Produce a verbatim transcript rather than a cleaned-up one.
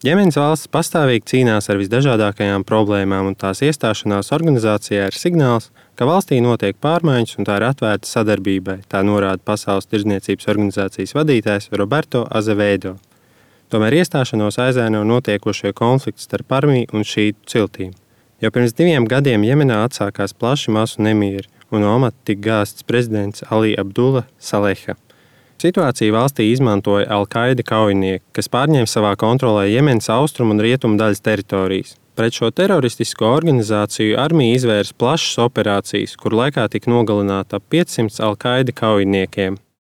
Jemenas valsts pastāvīgi cīnās ar visdažādākajām problēmām, un tās iestāšanās organizācijā ir signāls, ka valstī notiek pārmaiņas un tā ir atvērta sadarbībai, tā norāda Pasaules tirdzniecības organizācijas vadītājs Roberto Azevedo. Tomēr iestāšanos aizēno notiekošie konflikti starp armiju un šītu ciltīm. Jau pirms diviem gadiem Jemenā atsākās plaši masu nemieri, un no amata tika gāsts prezidents Ali Abdullah Saleha. Situāciju valstī izmantoja Al-Qaida kaujinieki, kas pārņēma savā kontrolē Jemenas austrumu un rietumu daļas teritorijas. Pret šo teroristisko organizāciju armija izvērsa plašas operācijas, kur laikā tika nogalināti ap piecsimt Al-Qaida kaujiniekiem.